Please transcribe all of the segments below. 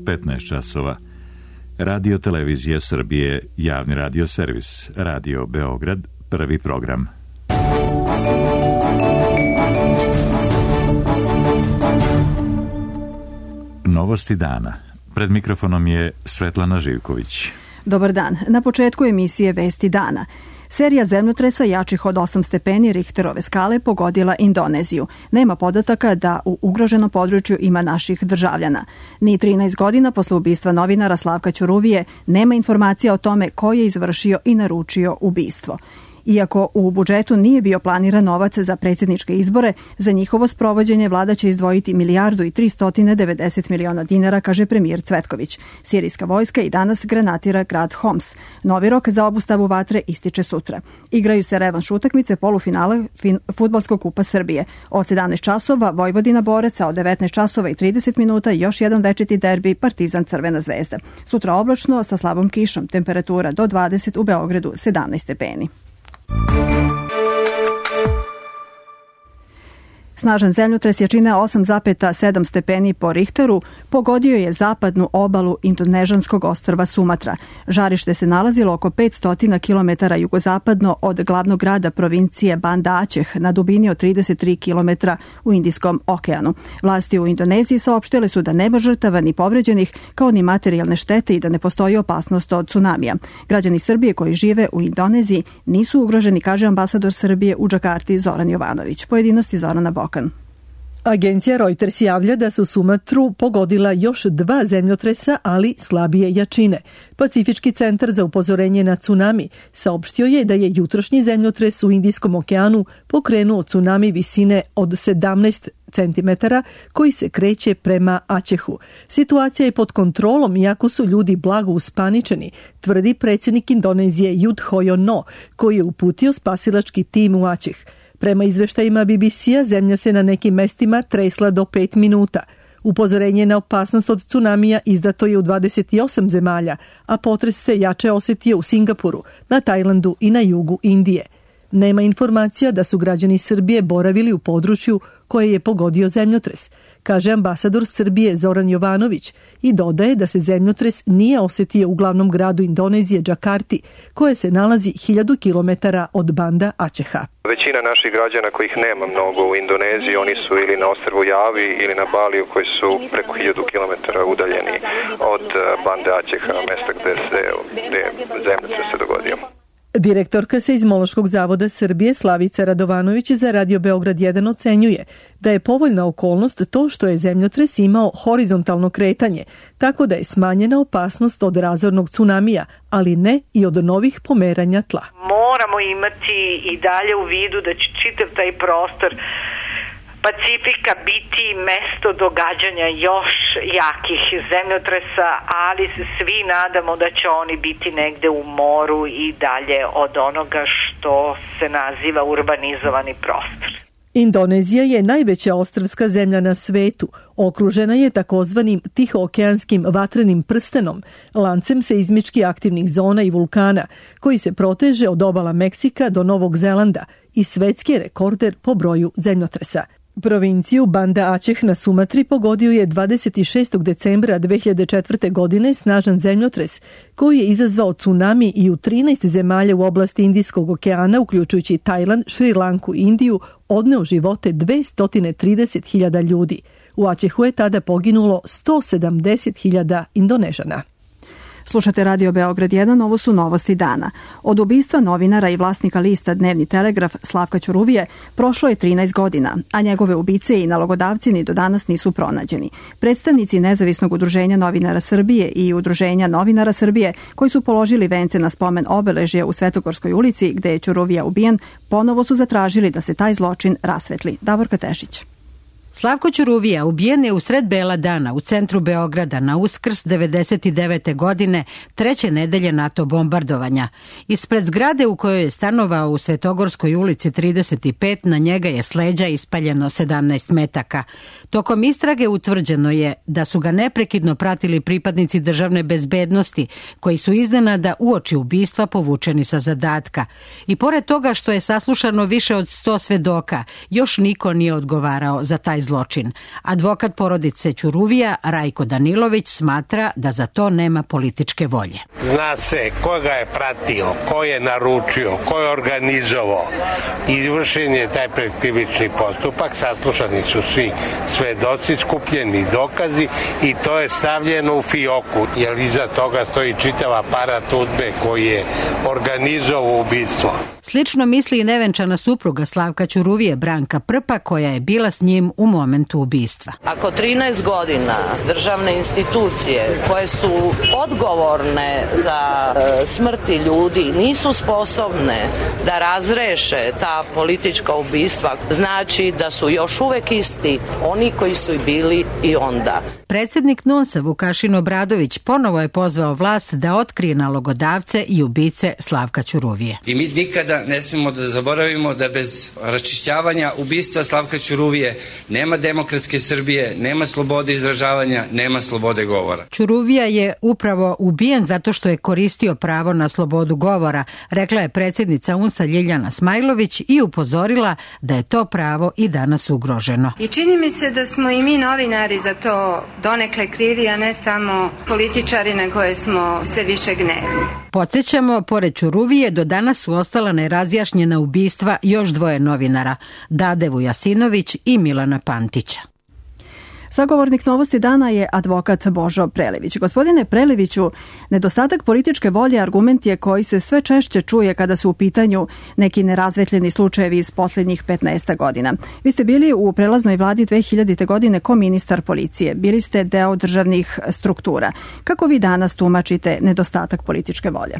15 časova. Radio Televizija Srbije, javni radio servis, Radio Beograd, prvi program. Novosti dana. Pred mikrofonom je Svetlana Živković. Dobar dan. Na početku emisije Vesti dana. Serija zemljotresa jačih od 8 stepeni Richterove skale pogodila Indoneziju. Nema podataka da u ugroženom području ima naših državljana. Ni 13 godina posle ubistva novinara Slavka Ćuruvije nema informacija o tome ko je izvršio i naručio ubistvo. Iako u budžetu nije bio planiran novac za predsjedničke izbore, za njihovo sprovođenje vlada će izdvojiti 1.390 miliona dinara, kaže premijer Cvetković. Sirijska vojska i danas granatira grad Homs. Novi rok za obustavu vatre ističe sutra. Igraju se revanš utakmice polufinale Fudbalskog kupa Srbije. Od 17 časova Vojvodina Borac, a od 19 časova i 30 minuta još jedan večiti derbi Partizan Crvena zvezda. Sutra oblačno sa slabom kišom, temperatura do 20, u Beogradu 17 stepeni. Snažan zemljotres jačine 8,7 stepeni po Richteru pogodio je zapadnu obalu indonežanskog ostrva Sumatra. Žarište se nalazilo oko 500 km jugozapadno od glavnog grada provincije Banda Aceh na dubini od 33 km u Indijskom okeanu. Vlasti u Indoneziji saopštile su da nema žrtava ni povređenih, kao ni materijalne štete i da ne postoji opasnost od tsunamija. Građani Srbije koji žive u Indoneziji nisu ugroženi, kaže ambasador Srbije u Džakarti Zoran Jovanović. Pojedinosti Zorana Bokan. Agencija Reuters javlja da su Sumatru pogodila još 2 zemljotresa, ali slabije jačine. Pacifički centar za upozorenje na tsunami saopštio je da je jutrošnji zemljotres u Indijskom okeanu pokrenuo tsunami visine od 17 centimetara koji se kreće prema Acehu. Situacija je pod kontrolom, iako su ljudi blago uspaničeni, tvrdi predsjednik Indonezije Yudhoyono, koji je uputio spasilački tim u Aceh. Prema izveštajima BBC-a, zemlja se na nekim mestima tresla do 5 minuta. Upozorenje na opasnost od tsunamija izdato je u 28 zemalja, a potres se jače osetio u Singapuru, na Tajlandu i na jugu Indije. Nema informacija da su građani Srbije boravili u području koje je pogodio zemljotres, kaže ambasador Srbije Zoran Jovanović i dodaje da se zemljotres nije osetio u glavnom gradu Indonezije Džakarti, koje se nalazi 1000 km od Banda Aceha. Većina naših građana kojih nema mnogo u Indoneziji, oni su ili na ostrvu Javi ili na Baliju koji su preko 1000 km udaljeni od Bande Aceha, mesta gde zemljotres se dogodio. Direktorka Seizmološkog zavoda Srbije Slavica Radovanović za Radio Beograd 1 ocenjuje da je povoljna okolnost to što je zemljotres imao horizontalno kretanje, tako da je smanjena opasnost od razornog tsunamija, ali ne i od novih pomeranja tla. Moramo imati i dalje u vidu da će čitav taj prostor Pacifika biti mesto događanja još jakih zemljotresa, ali se svi nadamo da će oni biti negde u moru i dalje od onoga što se naziva urbanizovani prostor. Indonezija je najveća ostrvska zemlja na svetu. Okružena je takozvanim tihookeanskim vatrenim prstenom, lancem seizmički aktivnih zona i vulkana, koji se proteže od obala Meksika do Novog Zelanda i svetski rekorder po broju zemljotresa. Provinciju Banda Aceh na Sumatri pogodio je 26. decembra 2004. godine snažan zemljotres koji je izazvao tsunami i u 13 zemalja u oblasti Indijskog okeana, uključujući Tajland, Šri Lanku i Indiju, odneo živote 230.000 ljudi. U Acehu je tada poginulo 170.000 Indonežana. Slušate Radio Beograd 1, ovo su novosti dana. Od ubistva novinara i vlasnika lista Dnevni telegraf Slavka Ćuruvije prošlo je 13 godina, a njegove ubice i nalogodavci ni do danas nisu pronađeni. Predstavnici Nezavisnog udruženja novinara Srbije i Udruženja novinara Srbije, koji su položili vence na spomen obeležja u Svetogorskoj ulici gde je Ćuruvija ubijen, ponovo su zatražili da se taj zločin rasvetli. Davorka Tešić. Slavko Ćuruvija ubijen je u sred bela dana u centru Beograda na Uskrs 1999. godine, 3. nedelje NATO bombardovanja. Ispred zgrade u kojoj je stanovao u Svetogorskoj ulici 35, na njega je s leđa ispaljeno 17 metaka. Tokom istrage utvrđeno je da su ga neprekidno pratili pripadnici državne bezbednosti, koji su iznenada uoči ubistva povučeni sa zadatka. I pored toga što je saslušano više od 100 svedoka, još niko nije odgovarao za taj zločin. Advokat porodice Ćuruvija, Rajko Danilović, smatra da za to nema političke volje. Zna se ko ga je pratio, ko je naručio, ko je organizovao. Izvršen je taj predkrivični postupak, saslušani su svi svedoci, skupljeni dokazi i to je stavljeno u fioku, jer iza toga stoji čitav aparat UDBE koji je organizovao ubistvo. Slično misli i nevenčana supruga Slavka Ćuruvije, Branka Prpa, koja je bila s njim u momentu ubistva. Ako 13 godina državne institucije koje su odgovorne za smrti ljudi nisu sposobne da razreše ta politička ubistva, znači da su još uvek isti oni koji su i bili i onda. Predsjednik NUNS-a Vukašin Obradović ponovo je pozvao vlast da otkrije nalogodavce i ubice Slavka Ćuruvije. I mi nikada ne smemo da zaboravimo da bez raščišćavanja ubistva Slavka Ćuruvije nema demokratske Srbije, nema slobode izražavanja, nema slobode govora. Ćuruvija je upravo ubijen zato što je koristio pravo na slobodu govora, rekla je predsjednica UNS-a Ljiljana Smajlović i upozorila da je to pravo i danas ugroženo. I čini mi se da smo i mi novinari za to donekle krivi, a ne samo političari na koje smo sve više gnevni. Podsjećamo, pored Ćuruvije do danas su ostala nerazjašnjena ubistva još dvoje novinara, Dade Vujasinović i Milana Pantića. Sagovornik Novosti dana je advokat Božo Prelević. Gospodine Preleviću, nedostatak političke volje argument je koji se sve češće čuje kada su u pitanju neki nerazvetljeni slučajevi iz posljednjih 15 godina. Vi ste bili u prelaznoj vladi 2000. godine ko ministar policije. Bili ste deo državnih struktura. Kako vi danas tumačite nedostatak političke volje?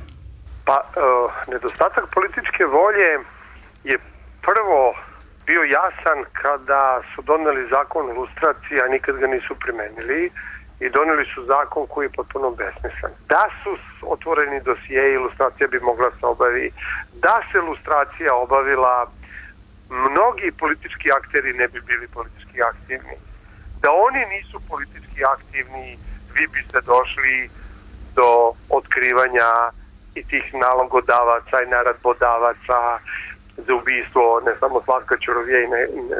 Pa, nedostatak političke volje je prvo bio jasan kada su doneli zakon o lustraciji, a nikad ga nisu primenili, i doneli su zakon koji je potpuno besmislen. Da su otvoreni dosije, lustracija bi mogla se obavi. Da se lustracija obavila, mnogi politički akteri ne bi bili politički aktivni. Da oni nisu politički aktivni, vi biste došli do otkrivanja i tih nalogodavaca i naredbodavaca za ubistvo ne samo Slavka Ćuruvije i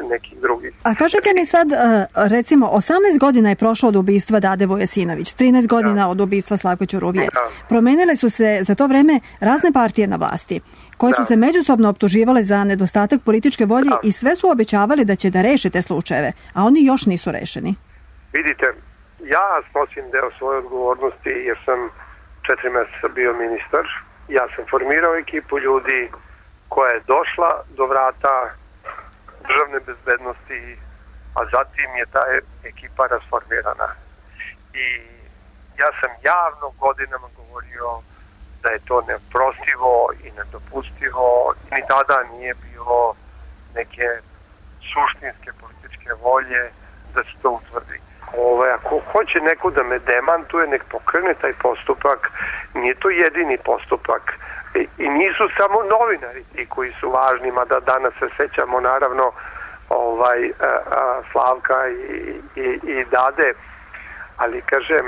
nekih drugih. A kažete mi sad, recimo, 18 godina je prošlo od ubistva Dade Vujasinović, 13 godina od ubistva Slavka Ćuruvije. Promenile su se za to vreme razne partije na vlasti, koje su se međusobno optuživale za nedostatak političke volje i sve su obećavali da će da reše te slučajeve, a oni još nisu rešeni. Vidite, ja snosim deo svoje odgovornosti jer sam 4 mjeseca bio ministar. Ja sam formirao ekipu ljudi koja je došla do vrata državne bezbednosti, a zatim je ta ekipa rasformirana. I ja sam javno godinama govorio da je to neoprostivo i nedopustivo. Ni tada nije bilo neke suštinske političke volje da se to utvrdi. Ako hoće neko da me demantuje, nek pokrene taj postupak. Nije to jedini postupak. I nisu samo novinari ti koji su važni, mada danas se sećamo naravno Slavka i Dade, ali kažem,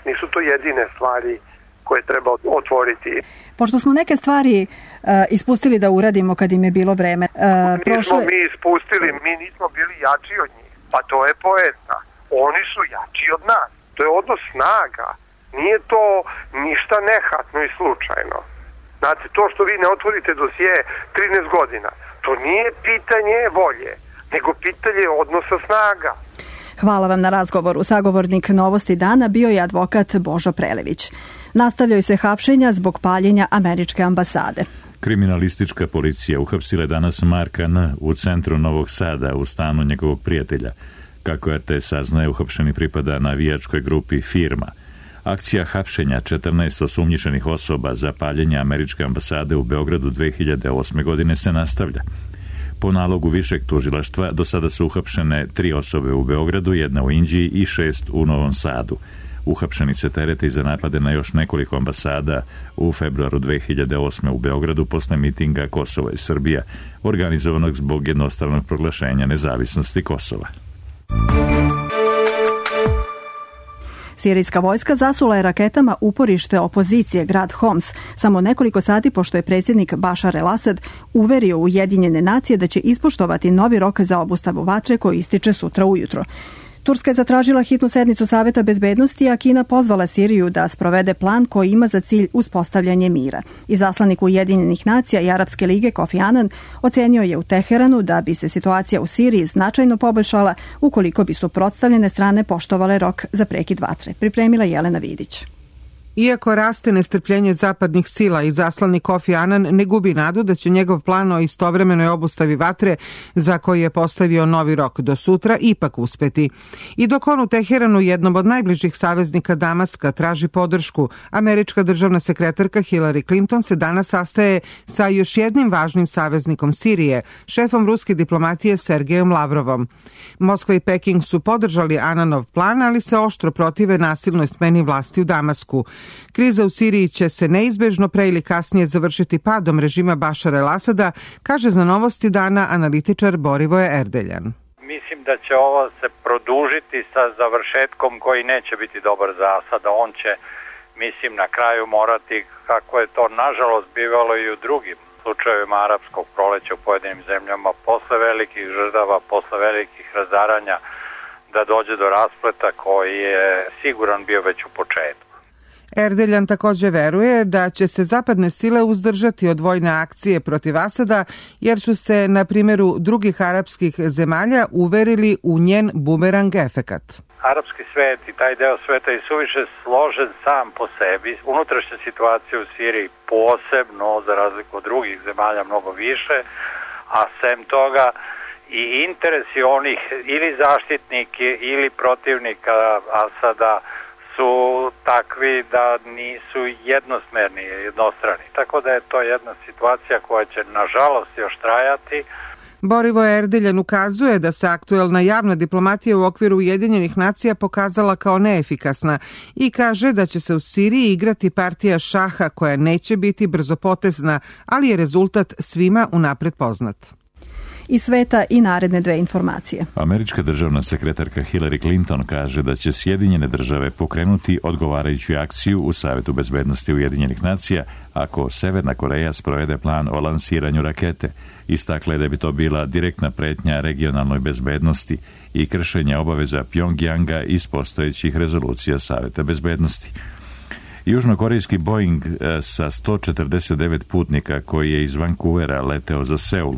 nisu to jedine stvari koje treba otvoriti. Pošto smo neke stvari ispustili da uradimo kad im je bilo vreme. Nismo mi ispustili, mi nismo bili jači od njih, pa to je poenta. Oni su jači od nas, to je odnos snaga, nije to ništa nehatno i slučajno. Znate, to što vi ne otvorite dosije 13 godina, to nije pitanje volje, nego pitanje odnosa snaga. Hvala vam na razgovoru. Sagovornik Novosti dana bio je advokat Božo Prelević. Nastavljaju se hapšenja zbog paljenja američke ambasade. Kriminalistička policija uhapsila je danas Marka N. u centru Novog Sada u stanu njegovog prijatelja. Kako RTS saznaje, uhapšeni pripada navijačkoj grupi Firma. Akcija hapšenja 14 osumnjičenih osoba za paljenje američke ambasade u Beogradu 2008. godine se nastavlja. Po nalogu višeg tužilaštva do sada su uhapšene 3 osobe u Beogradu, 1 u Inđiji i 6 u Novom Sadu. Uhapšeni se terete za napade na još nekoliko ambasada u februaru 2008. u Beogradu posle mitinga Kosovo i Srbija, organizovanog zbog jednostranog proglašenja nezavisnosti Kosova. Sirijska vojska zasula je raketama uporište opozicije grad Homs, samo nekoliko sati pošto je predsjednik Bašar el-Asad uverio Ujedinjene nacije da će ispoštovati novi rok za obustavu vatre koji ističe sutra ujutro. Turska je zatražila hitnu sednicu Saveta bezbednosti, a Kina pozvala Siriju da sprovede plan koji ima za cilj uspostavljanje mira. Izaslanik Ujedinjenih nacija i Arapske lige Kofi Annan ocenio je u Teheranu da bi se situacija u Siriji značajno poboljšala ukoliko bi suprotstavljene strane poštovale rok za prekid vatre. Pripremila Jelena Vidić. Iako raste nestrpljenje zapadnih sila, izaslanik Kofi Annan ne gubi nadu da će njegov plan o istovremenoj obustavi vatre, za koji je postavio novi rok do sutra, ipak uspeti. I dok on u Teheranu, jednom od najbližih saveznika Damaska, traži podršku, američka državna sekretarka Hillary Clinton se danas sastaje sa još jednim važnim saveznikom Sirije, šefom ruske diplomatije Sergejem Lavrovom. Moskva i Peking su podržali Annanov plan, ali se oštro protive nasilnoj smeni vlasti u Damasku. Kriza u Siriji će se neizbežno pre ili kasnije završiti padom režima Bašara el-Asada, kaže za Novosti dana analitičar Borivoje Erdeljan. Mislim da će ovo se produžiti sa završetkom koji neće biti dobar za Asada. On će, mislim, na kraju morati, kako je to nažalost bivalo i u drugim slučajevima arapskog proleća u pojedinim zemljama, posle velikih žrtava, posle velikih razaranja, da dođe do raspleta koji je siguran bio već u početku. Erdeljan također veruje da će se zapadne sile uzdržati od vojne akcije protiv Asada, jer su se na primjeru drugih arapskih zemalja uverili u njen bumerang efekat. Arapski svet i taj deo sveta je suviše složen sam po sebi. Unutrašnja situacija u Siriji posebno, za razliku od drugih zemalja, mnogo više, a sem toga i interesi onih ili zaštitnike ili protivnika Asada su takvi da nisu jednosmerni, jednostrani. Tako da je to jedna situacija koja će nažalost još trajati. Borivoje Erdeljan ukazuje da se aktuelna javna diplomatija u okviru Ujedinjenih nacija pokazala kao neefikasna i kaže da će se u Siriji igrati partija šaha koja neće biti brzopotezna, ali je rezultat svima unapred poznat. Iz sveta i naredne dve informacije. Američka državna sekretarka Hillary Clinton kaže da će Sjedinjene države pokrenuti odgovarajuću akciju u Savetu bezbednosti Ujedinjenih nacija ako Severna Koreja sprovede plan o lansiranju rakete. Istakla je da bi to bila direktna pretnja regionalnoj bezbednosti i kršenje obaveza Pjongjanga iz postojećih rezolucija Saveta bezbednosti. Južnokorejski Boeing sa 149 putnika koji je iz Vancouvera leteo za Seul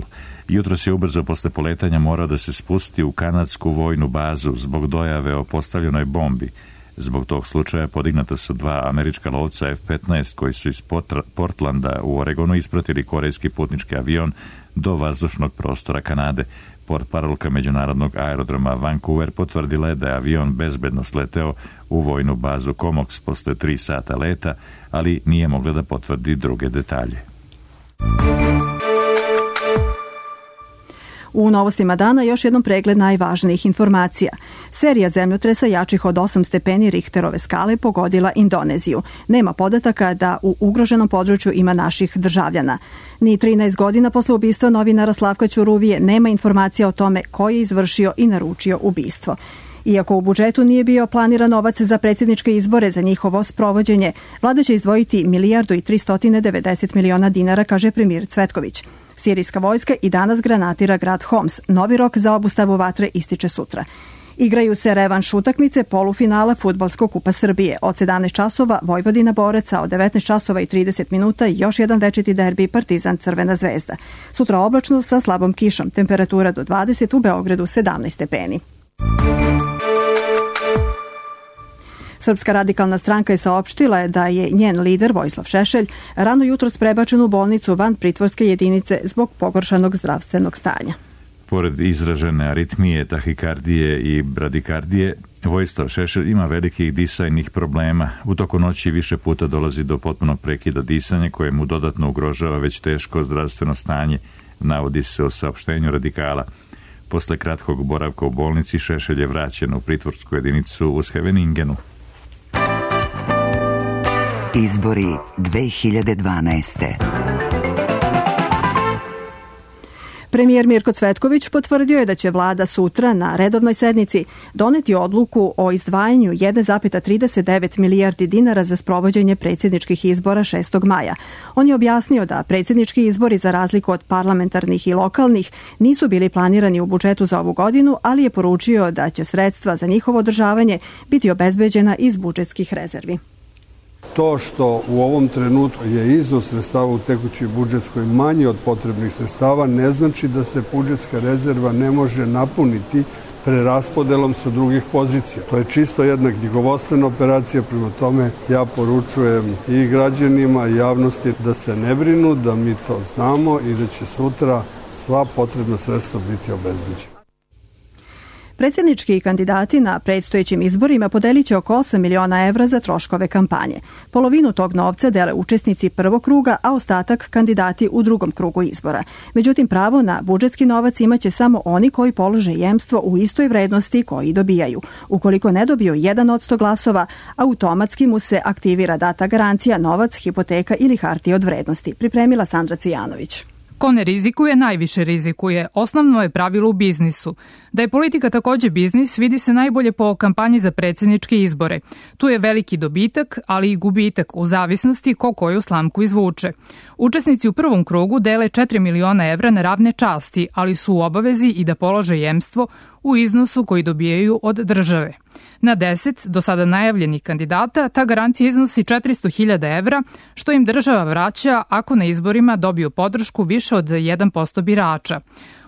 jutros je ubrzo posle poletanja morao da se spusti u kanadsku vojnu bazu zbog dojave o postavljenoj bombi. Zbog tog slučaja podignata su dva američka lovca F-15 koji su iz Portlanda u Oregonu ispratili korejski putnički avion do vazdušnog prostora Kanade. Portparolka međunarodnog aerodroma Vancouver potvrdila je da je avion bezbedno sleteo u vojnu bazu Comox posle 3 sata leta, ali nije mogla da potvrdi druge detalje. U novostima dana još jednom pregled najvažnijih informacija. Serija zemljotresa jačih od 8 stepeni Richterove skale pogodila Indoneziju. Nema podataka da u ugroženom području ima naših državljana. Ni 13 godina posle ubistva novinara Slavka Ćuruvije nema informacija o tome ko je izvršio i naručio ubistvo. Iako u budžetu nije bio planiran novac za predsjedničke izbore za njihovo sprovođenje, vlada će izdvojiti 1.390 miliona dinara, kaže premijer Cvetković. Sirijska vojska i danas granatira grad Homs. Novi rok za obustavu vatre ističe sutra. Igraju se revanš utakmice polufinala Fudbalskog kupa Srbije. Od 17 časova Vojvodina Boraca, od 19 časova i 30 minuta još jedan večiti derbi Partizan Crvena zvezda. Sutra oblačno sa slabom kišom, temperatura do 20, u Beogradu 17 stepeni. Srpska radikalna stranka je saopštila da je njen lider Vojislav Šešelj rano jutros prebačen u bolnicu van pritvorske jedinice zbog pogoršanog zdravstvenog stanja. Pored izražene aritmije, tahikardije i bradikardije, Vojislav Šešelj ima velikih disajnih problema. U toku noći više puta dolazi do potpunog prekida disanja koje mu dodatno ugrožava već teško zdravstveno stanje, navodi se u saopštenju Radikala. Posle kratkog boravka u bolnici Šešelj je vraćen u pritvorsku jedinicu u Scheveningenu. Izbori 2012. Premijer Mirko Cvetković potvrdio je da će vlada sutra na redovnoj sednici doneti odluku o izdvajanju 1,39 milijardi dinara za sprovođenje predsjedničkih izbora 6. maja. On je objasnio da predsjednički izbori, za razliku od parlamentarnih i lokalnih, nisu bili planirani u budžetu za ovu godinu, ali je poručio da će sredstva za njihovo održavanje biti obezbeđena iz budžetskih rezervi. To što u ovom trenutku je iznos sredstava u tekućoj budžetskoj manji od potrebnih sredstava ne znači da se budžetska rezerva ne može napuniti preraspodelom sa drugih pozicija. To je čisto jedna knjigovodstvena operacija, prema tome ja poručujem i građanima i javnosti da se ne brinu, da mi to znamo i da će sutra sva potrebna sredstva biti obezbeđena. Predsjednički kandidati na predstojećim izborima podelit će oko 8 miliona evra za troškove kampanje. Polovinu tog novca dele učesnici prvog kruga, a ostatak kandidati u drugom krugu izbora. Međutim, pravo na budžetski novac imaće samo oni koji polože jemstvo u istoj vrednosti koji dobijaju. Ukoliko ne dobiju 1% glasova, automatski mu se aktivira data garancija, novac, hipoteka ili hartije od vrednosti. Pripremila Sandra Cvijanović. Ko ne rizikuje, najviše rizikuje. Osnovno je pravilo u biznisu. Da je politika takođe biznis, vidi se najbolje po kampanji za predsjedničke izbore. Tu je veliki dobitak, ali i gubitak u zavisnosti ko koju slamku izvuče. Učesnici u prvom krugu dele 4 miliona evra na ravne časti, ali su u obavezi i da polože jemstvo u iznosu koji dobijaju od države. Na 10 do sada najavljenih kandidata ta garancija iznosi 400.000 evra, što im država vraća ako na izborima dobiju podršku više od 1% birača.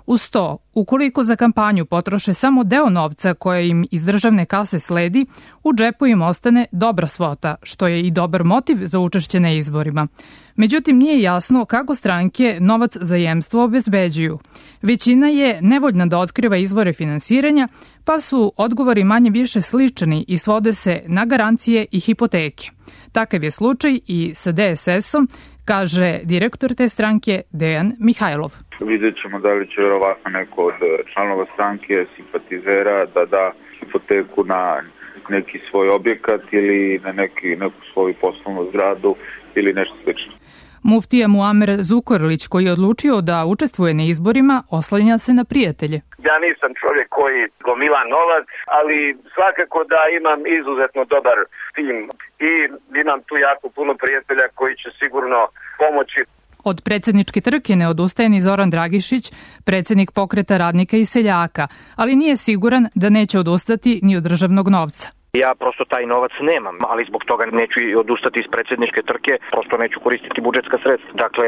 Uz to, ukoliko za kampanju potroše samo deo novca koje im iz državne kase sledi, u džepu im ostane dobra svota, što je i dobar motiv za učešće na izborima. Međutim, nije jasno kako stranke novac za jemstvo obezbeđuju. Većina je nevoljna da otkriva izvore finansiranja, pa su odgovori manje više slični i svode se na garancije i hipoteke. Takav je slučaj i sa DSS-om, kaže direktor te stranke Dejan Mihajlov. Vidjet ćemo da li će verovatno neko od članova stranke, simpatizera da da hipoteku na neki svoj objekat ili na neku svoju poslovnu zgradu ili nešto slično. Muftija Muamer Zukorlić, koji je odlučio da učestvuje na izborima, oslanja se na prijatelje. Ja nisam čovjek koji gomila novac, ali svakako da imam izuzetno dobar tim i imam tu jako puno prijatelja koji će sigurno pomoći. Od predsjedničke trke ne odustaje ni Zoran Dragišić, predsjednik Pokreta radnika i seljaka, ali nije siguran da neće odustati ni od državnog novca. Ja prosto taj novac nemam, ali zbog toga neću odustati iz predsjedničke trke, prosto neću koristiti budžetska sredstva. Dakle,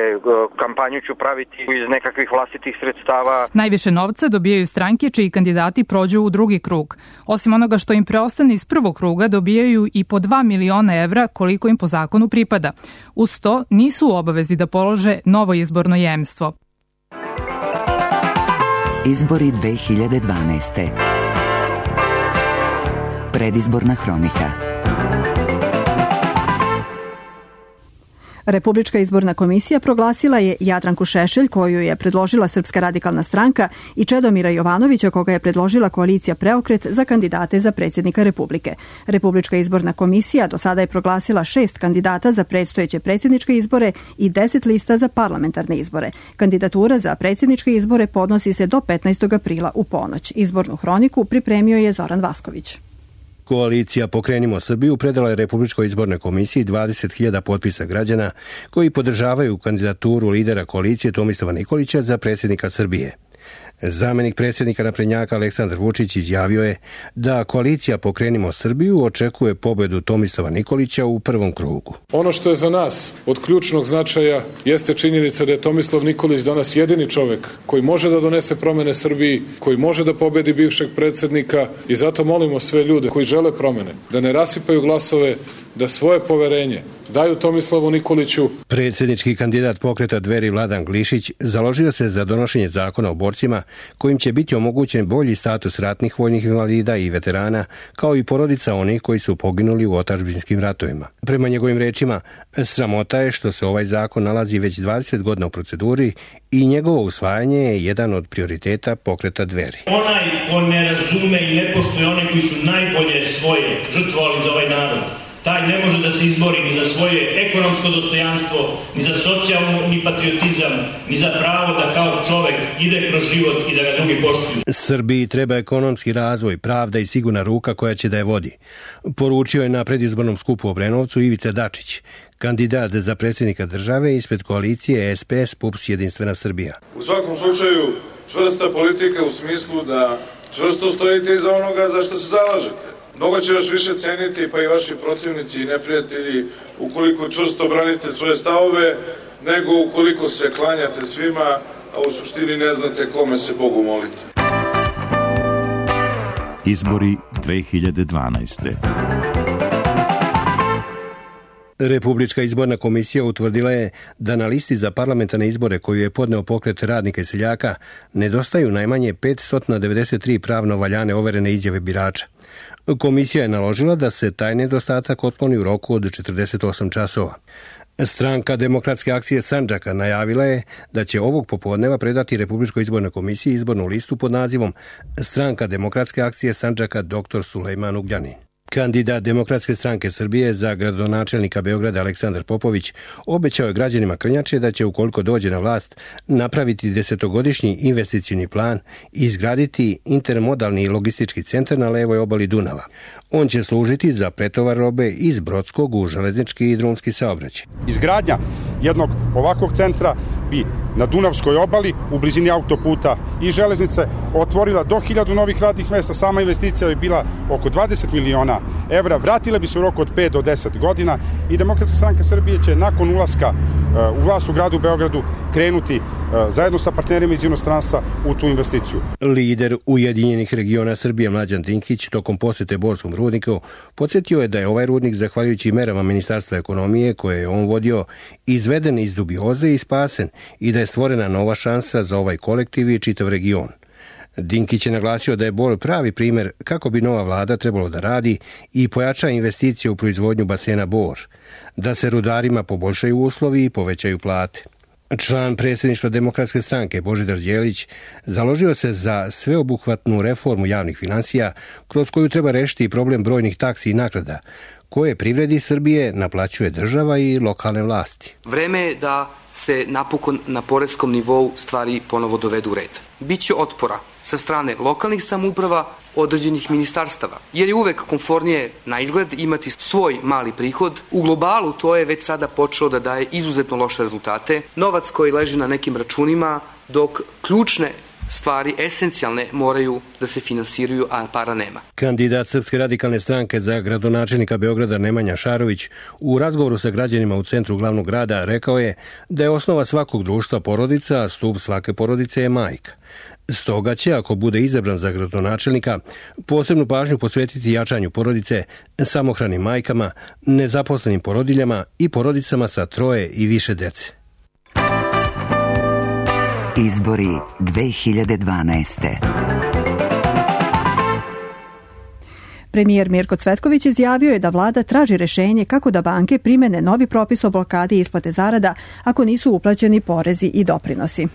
kampanju ću praviti iz nekakvih vlastitih sredstava. Najviše novca dobijaju stranke čiji kandidati prođu u drugi krug. Osim onoga što im preostane iz prvog kruga, dobijaju i po 2 miliona evra koliko im po zakonu pripada. Uz to nisu u obavezi da polože novo izborno jemstvo. Izbori 2012. Predizborna hronika. Republička izborna komisija proglasila je Jadranku Šešelj, koju je predložila Srpska radikalna stranka, i Čedomira Jovanovića, koga je predložila koalicija Preokret, za kandidate za predsjednika Republike. Republička izborna komisija do sada je proglasila 6 kandidata za predstojeće predsjedničke izbore i 10 lista za parlamentarne izbore. Kandidatura za predsjedničke izbore podnosi se do 15. aprila u ponoć. Izbornu hroniku pripremio je Zoran Vasković. Koalicija Pokrenimo Srbiju predala je Republičkoj izbornoj komisiji 20.000 potpisa građana koji podržavaju kandidaturu lidera koalicije Tomislava Nikolića za predsjednika Srbije. Zamenik predsjednika naprednjaka Aleksandar Vučić izjavio je da koalicija Pokrenimo Srbiju očekuje pobedu Tomislava Nikolića u prvom krugu. Ono što je za nas od ključnog značaja jeste činjenica da je Tomislav Nikolić danas jedini čovjek koji može da donese promene Srbiji, koji može da pobedi bivšeg predsjednika, i zato molimo sve ljude koji žele promene da ne rasipaju glasove, da svoje poverenje daju Tomislavu Nikoliću. Predsjednički kandidat Pokreta Dveri Vladan Glišić založio se za donošenje zakona o borcima kojim će biti omogućen bolji status ratnih vojnih invalida i veterana, kao i porodica onih koji su poginuli u otadžbinskim ratovima. Prema njegovim rečima, sramota je što se ovaj zakon nalazi već 20 godina u proceduri i njegovo usvajanje je jedan od prioriteta Pokreta Dveri. Onaj ko ne razume i ne poštuje one koji su najbolje svoje žrtvovali za ovaj narod, taj ne može da se izbori ni za svoje ekonomsko dostojanstvo, ni za socijalni patriotizam, ni za pravo da kao čovek ide kroz život i da ga drugi poštuju. Srbiji treba ekonomski razvoj, pravda i sigurna ruka koja će da je vodi. Poručio je na predizbornom skupu u Obrenovcu Ivica Dačić, kandidat za predsjednika države ispred koalicije SPS PUPS Jedinstvena Srbija. U svakom slučaju čvrsta politika u smislu da čvrsto stojite iza onoga za što se zalažete. Mnogo će vas više ceniti, pa i vaši protivnici i neprijatelji, ukoliko čvrsto branite svoje stavove, nego ukoliko se klanjate svima, a u suštini ne znate kome se Bogu molite. Izbori 2012. Republička izborna komisija utvrdila je da na listi za parlamentarne izbore koju je podneo pokret radnika i seljaka nedostaju najmanje 593 pravno valjane overene izjave birača. Komisija je naložila da se taj nedostatak otkloni u roku od 48 časova. Stranka Demokratske akcije Sandžaka najavila je da će ovog popodneva predati Republičkoj izbornoj komisiji izbornu listu pod nazivom Stranka Demokratske akcije Sandžaka dr. Sulejman Ugljanin. Kandidat Demokratske stranke Srbije za gradonačelnika Beograda Aleksandar Popović obećao je građanima Krnjače da će, ukoliko dođe na vlast, napraviti 10-godišnji investicioni plan i izgraditi intermodalni logistički centar na levoj obali Dunava. On će služiti za pretovar robe iz brodskog u železnički i drumski saobraćaj. Izgradnja jednog ovakvog centra bi na Dunavskoj obali u blizini autoputa i železnice otvorila do 1000 novih radnih mesta. Sama investicija bi bila oko 20 miliona evra, vratila bi se u roku od 5 do 10 godina i Demokratska stranka Srbije će nakon ulaska u vlast u gradu Beogradu krenuti zajedno sa partnerima iz inostranstva u tu investiciju. Lider Ujedinjenih regiona Srbije Mlađan Dinkić tokom posete Borskom rudniku podsjetio je da je ovaj rudnik zahvaljujući merama Ministarstva ekonomije koje je on vodio izveden iz dubioze i spasen i da je stvorena nova šansa za ovaj kolektiv i čitav region. Dinkić je naglasio da je Bor pravi primjer kako bi nova vlada trebalo da radi i pojača investicije u proizvodnju basena Bor, da se rudarima poboljšaju uslovi i povećaju plate. Član predsjedništva Demokratske stranke Božidar Đelić založio se za sveobuhvatnu reformu javnih finansija kroz koju treba rešiti problem brojnih taksi i naknada koje privredi Srbije naplaćuje država i lokalne vlasti. Vreme je da se napokon na poreskom nivou stvari ponovo dovedu u red. Biće otpora sa strane lokalnih samouprava, određenih ministarstava, jer je uvek komfornije na izgled imati svoj mali prihod. U globalu to je već sada počelo da daje izuzetno loše rezultate. Novac koji leži na nekim računima, dok ključne stvari, esencijalne, moraju da se finansiraju, a para nema. Kandidat Srpske radikalne stranke za gradonačelnika Beograda Nemanja Šarović u razgovoru sa građanima u centru glavnog grada rekao je da je osnova svakog društva porodica, a stup svake porodice je majka. Stoga će, ako bude izabran za gradonačelnika, posebnu pažnju posvetiti jačanju porodice, samohranim majkama, nezaposlenim porodiljama i porodicama sa 3 i više dece. Izbori 2012. Premijer Mirko Cvetković izjavio je da vlada traži rešenje kako da banke primene novi propis o blokadi isplate zarada ako nisu uplaćeni porezi i doprinosi.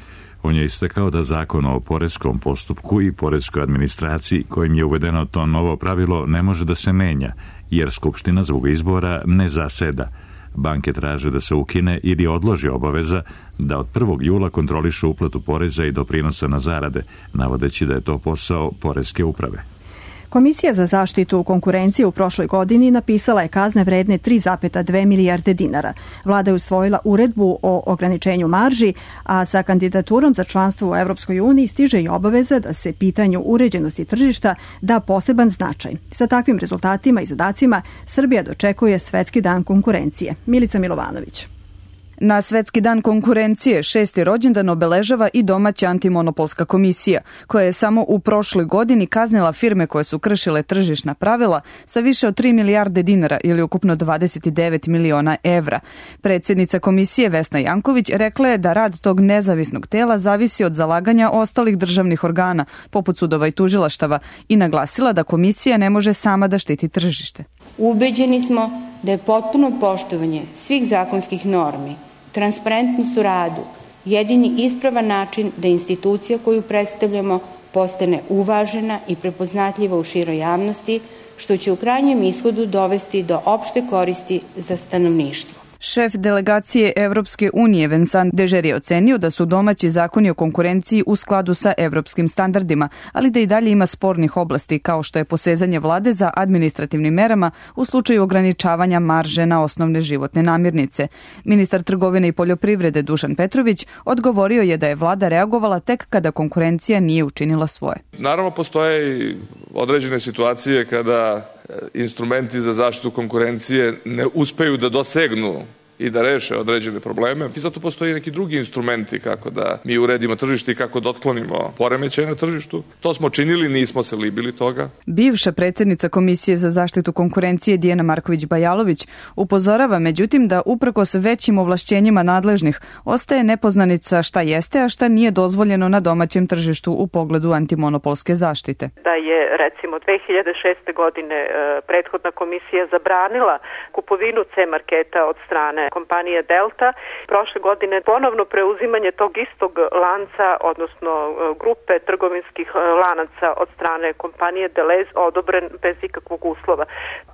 On je istakao da zakon o poreskom postupku i poreskoj administraciji kojim je uvedeno to novo pravilo ne može da se menja, jer Skupština zbog izbora ne zaseda. Banke traže da se ukine ili odloži obaveza da od 1. jula kontrolišu uplatu poreza i doprinosa na zarade, navodeći da je to posao poreske uprave. Komisija za zaštitu konkurencije u prošloj godini napisala je kazne vredne 3,2 milijarde dinara. Vlada je usvojila uredbu o ograničenju marži, a sa kandidaturom za članstvo u Evropskoj uniji stiže i obaveza da se pitanju uređenosti tržišta da poseban značaj. Sa takvim rezultatima i zadacima Srbija dočekuje Svetski dan konkurencije. Milica Milovanović. Na Svetski dan konkurencije 6. rođendan obeležava i domaća antimonopolska komisija, koja je samo u prošloj godini kaznila firme koje su kršile tržišna pravila sa više od 3 milijarde dinara ili ukupno 29 miliona evra. Predsjednica komisije Vesna Janković rekla je da rad tog nezavisnog tela zavisi od zalaganja ostalih državnih organa, poput sudova i tužilaštava, i naglasila da komisija ne može sama da štiti tržište. Ubeđeni smo da je potpuno poštovanje svih zakonskih normi, transparentnost u radu, jedini ispravan način da institucija koju predstavljamo postane uvažena i prepoznatljiva u široj javnosti, što će u krajnjem ishodu dovesti do opšte koristi za stanovništvo. Šef delegacije Evropske unije Vincent Dežer je ocenio da su domaći zakoni o konkurenciji u skladu sa evropskim standardima, ali da i dalje ima spornih oblasti kao što je posezanje vlade za administrativnim merama u slučaju ograničavanja marže na osnovne životne namirnice. Ministar trgovine i poljoprivrede Dušan Petrović odgovorio je da je vlada reagovala tek kada konkurencija nije učinila svoje. Naravno, postoje i određene situacije kada instrumenti za zaštitu konkurencije ne uspeju da dosegnu i da reše određene probleme. I zato postoji neki drugi instrumenti kako da mi uredimo tržište i kako da otklonimo poremećaje na tržištu. To smo činili, nismo se libili toga. Bivša predsjednica Komisije za zaštitu konkurencije Dijana Marković-Bajalović upozorava međutim da uprkos većim ovlašćenjima nadležnih ostaje nepoznanica šta jeste, a šta nije dozvoljeno na domaćem tržištu u pogledu antimonopolske zaštite. Da je recimo 2006. godine prethodna komisija zabranila kupovinu C-marketa od strane kompanije Delta. Prošle godine ponovno preuzimanje tog istog lanca, odnosno grupe trgovinskih lanaca od strane kompanije Deleuze odobren bez ikakvog uslova,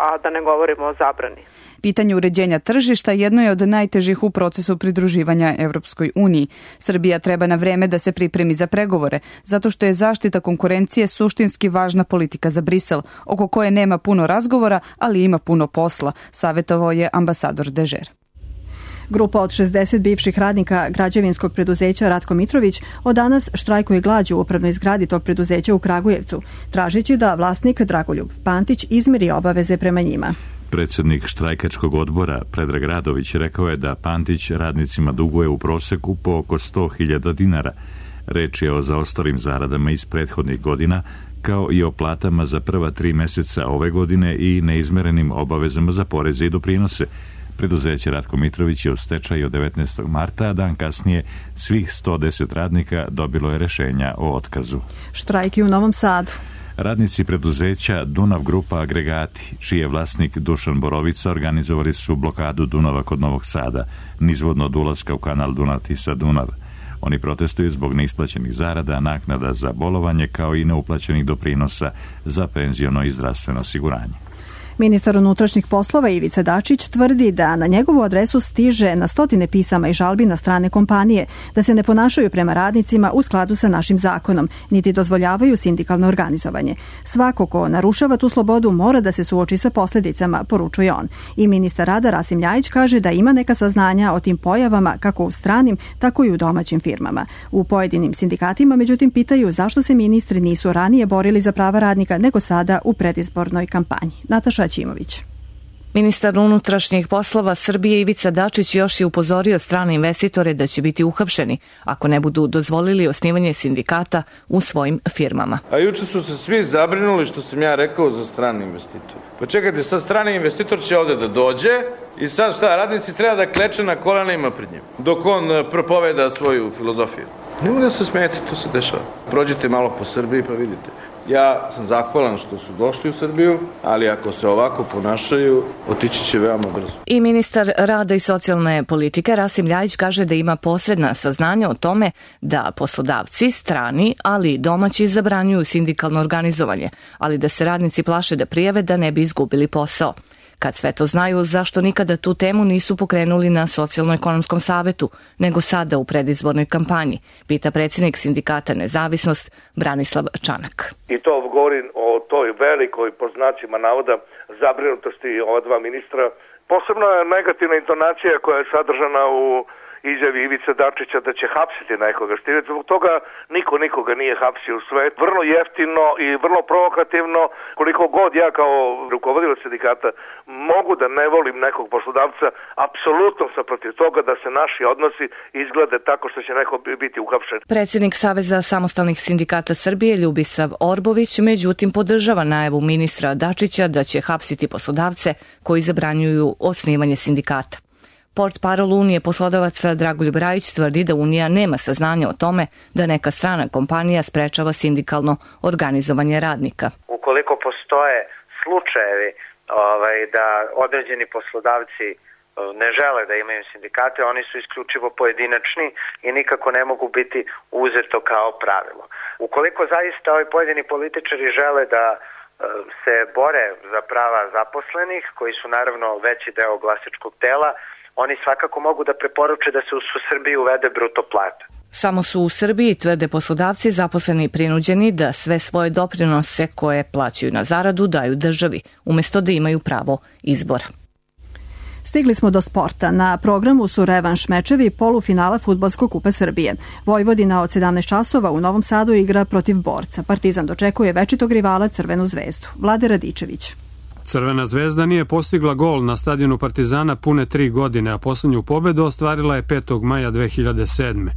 a da ne govorimo o zabrani. Pitanje uređenja tržišta jedno je od najtežih u procesu pridruživanja Evropskoj uniji. Srbija treba na vreme da se pripremi za pregovore, zato što je zaštita konkurencije suštinski važna politika za Brisel, oko koje nema puno razgovora, ali ima puno posla, savjetovao je ambasador Dežer. Grupa od 60 bivših radnika građevinskog preduzeća Ratko Mitrović od danas štrajkuje glađu u upravnoj zgradi tog preduzeća u Kragujevcu, tražeći da vlasnik Dragoljub Pantić izmiri obaveze prema njima. Predsjednik štrajkačkog odbora Predrag Radović rekao je da Pantić radnicima duguje u proseku po oko 100.000 dinara. Reč je o zaostalim zaradama iz prethodnih godina, kao i o platama za prva 3 mjeseca ove godine i neizmerenim obavezama za poreze i doprinose. Preduzeće Ratko Mitrović je u stečaju od 19. marta, a dan kasnije svih 110 radnika dobilo je rješenja o otkazu. Štrajk u Novom Sadu. Radnici preduzeća Dunav Grupa Agregati, čiji je vlasnik Dušan Borovica, organizovali su blokadu Dunava kod Novog Sada, nizvodno od ulaska u kanal Dunav-Tisa-Dunav. Oni protestuju zbog neisplaćenih zarada, naknada za bolovanje, kao i neuplaćenih doprinosa za penziono i zdravstveno osiguranje. Ministar unutrašnjih poslova Ivica Dačić tvrdi da na njegovu adresu stiže na stotine pisama i žalbi na strane kompanije, da se ne ponašaju prema radnicima u skladu sa našim zakonom, niti dozvoljavaju sindikalno organizovanje. Svako ko narušava tu slobodu mora da se suoči sa posljedicama, poručuje on. I ministar rada Rasim Ljajić kaže da ima neka saznanja o tim pojavama kako u stranim, tako i u domaćim firmama. U pojedinim sindikatima, međutim, pitaju zašto se ministri nisu ranije borili za prava radnika nego sada u predizbornoj kampanji. Nataša Ćimović. Ministar unutrašnjih poslova Srbije Ivica Dačić još je upozorio strane investitore da će biti uhapšeni ako ne budu dozvolili osnivanje sindikata u svojim firmama. A juče su se svi zabrinuli što sam ja rekao za strane investitore. Pa čekajte, sad strani investitor će ovde da dođe i sad šta, radnici treba da kleče na kolenima pred njim dok on propoveda svoju filozofiju. Nemo da se smijete, to se dešava. Prođite malo po Srbiji pa vidite. Ja sam zahvalan što su došli u Srbiju, ali ako se ovako ponašaju, otići će veoma brzo. I ministar rada i socijalne politike Rasim Ljajić kaže da ima posredna saznanja o tome da poslodavci, strani, ali i domaći zabranjuju sindikalno organizovanje, ali da se radnici plaše da prijave da ne bi izgubili posao. Kad sve to znaju, zašto nikada tu temu nisu pokrenuli na Socijalno-ekonomskom savetu, nego sada u predizbornoj kampanji, pita predsjednik sindikata Nezavisnost Branislav Čanak. I to govorim o toj velikoj, po znacima navoda, zabrinutosti ova dva ministra. Posebno je negativna intonacija koja je sadržana u izjavi Ivice Dačića da će hapsiti nekoga. Zbog toga niko nikoga nije hapsio u svet. Vrlo jeftino i vrlo provokativno, koliko god ja kao rukovodilac sindikata mogu da ne volim nekog poslodavca, apsolutno sam protiv toga da se naši odnosi izglede tako što će neko biti uhapšen. Predsjednik Saveza samostalnih sindikata Srbije Ljubisav Orbović međutim podržava najavu ministra Dačića da će hapsiti poslodavce koji zabranjuju osnivanje sindikata. Portparol Unije poslodavaca Dragoljub Rajić tvrdi da Unija nema saznanja o tome da neka strana kompanija sprečava sindikalno organizovanje radnika. Ukoliko postoje slučajevi da određeni poslodavci ne žele da imaju sindikate, oni su isključivo pojedinačni i nikako ne mogu biti uzeto kao pravilo. Ukoliko zaista ovi pojedini političari žele da se bore za prava zaposlenih, koji su naravno veći deo glasačkog tela, oni svakako mogu da preporuče da se u Srbiji uvede bruto plata. Samo su u Srbiji, tvrde poslodavci, zaposleni prinuđeni da sve svoje doprinose koje plaćaju na zaradu daju državi, umjesto da imaju pravo izbora. Stigli smo do sporta. Na programu su revanš mečevi polufinala Fudbalskog kupa Srbije. Vojvodina od 17 časova u Novom Sadu igra protiv Borca. Partizan dočekuje večitog rivala Crvenu zvezdu. Vlade Radičević. Crvena zvezda nije postigla gol na stadionu Partizana pune 3 godine, a poslednju pobedu ostvarila je 5. maja 2007.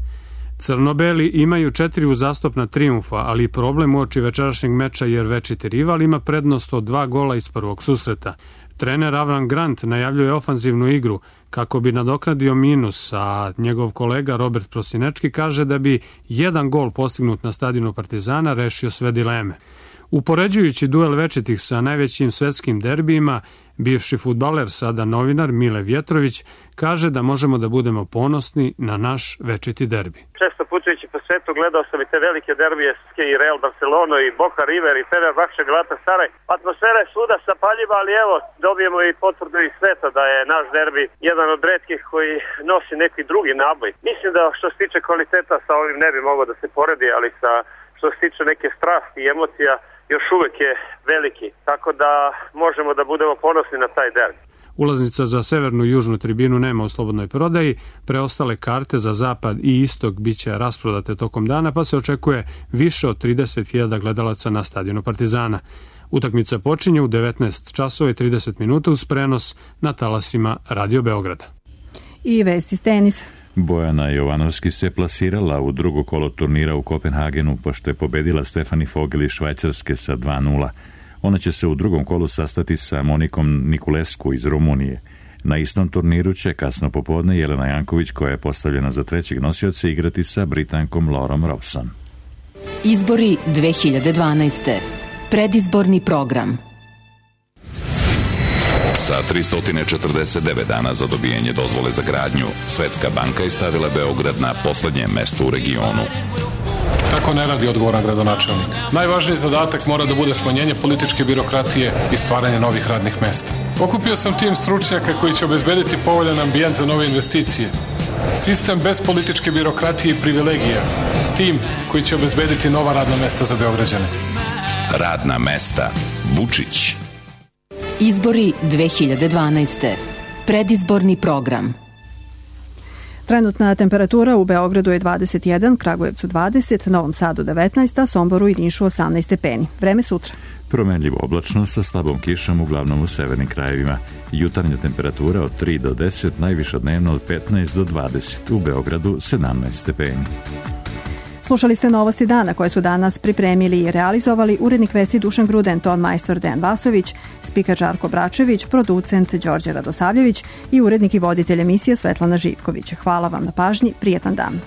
Crnobeli imaju 4 uzastopna trijumfa, ali problem uoči večerašnjeg meča jer večiti rival ima prednost od 2 gola iz prvog susreta. Trener Avram Grant najavljuje ofanzivnu igru kako bi nadoknadio minus, a njegov kolega Robert Prosinečki kaže da bi 1 gol postignut na stadionu Partizana rešio sve dileme. Upoređujući duel večitih sa najvećim svetskim derbijima, bivši fudbaler, sada novinar Mile Vjetrović, kaže da možemo da budemo ponosni na naš večiti derbi. Često putujući po svetu gledao sam i te velike derbije i Real Barcelona i Boca River i Fenerbahče Galatasaray. Atmosfera je svuda zapaljiva, ali evo dobijemo i potvrdu iz sveta da je naš derbi jedan od retkih koji nosi neki drugi naboj. Mislim da što se tiče kvaliteta sa ovim ne bi mogao da se poredi, ali što se tiče neke strasti i emocija još uvek je veliki, tako da možemo da budemo ponosni na taj derbi. Ulaznica za severnu i južnu tribinu nema u slobodnoj prodaji, preostale karte za zapad i istok biće rasprodate tokom dana, pa se očekuje više od 30.000 gledalaca na stadionu Partizana. Utakmica počinje u 19 časova i 30 minuta uz prenos na talasima Radio Beograda. I vesti s tenisa. Bojana Jovanovski se plasirala u drugo kolo turnira u Kopenhagenu, pošto je pobedila Stefani Fogel iz Švajcarske sa 2:0. Ona će se u drugom kolu sastati sa Monikom Nikulescu iz Rumunije. Na istom turniru će kasno popodne Jelena Janković, koja je postavljena za trećeg nosioca, igrati sa Britankom Laurom Robson. Izbori 2012. Predizborni program. Sa 349 dana za dobijanje dozvole za gradnju, Svetska banka je stavila Beograd na poslednje mesto u regionu. Tako ne radi odgovoran gradonačelnik. Najvažniji zadatak mora da bude smanjenje političke birokratije i stvaranje novih radnih mesta. Okupio sam tim stručnjaka koji će obezbediti povoljan ambijent za nove investicije. Sistem bez političke birokratije i privilegija. Tim koji će obezbediti nova radna mesta za Beograđane. Radna mesta. Vučić. Izbori 2012. Predizborni program. Trenutna temperatura u Beogradu je 21, Kragujevcu 20, Novom Sadu 19, a Somboru i Nišu 18 stepeni. Vreme sutra. Promenljivo oblačno sa slabom kišom, uglavnom u severnim krajevima. Jutarnja temperatura od 3 do 10, najviša dnevno od 15 do 20, u Beogradu 17 stepeni. Slušali ste Novosti dana koje su danas pripremili i realizovali urednik vesti Dušan Gruden, ton majstor Dejan Vasović, spiker Žarko Bračević, producent Đorđe Radosavljević i urednik i voditelj emisije Svetlana Živković. Hvala vam na pažnji, prijetan dan.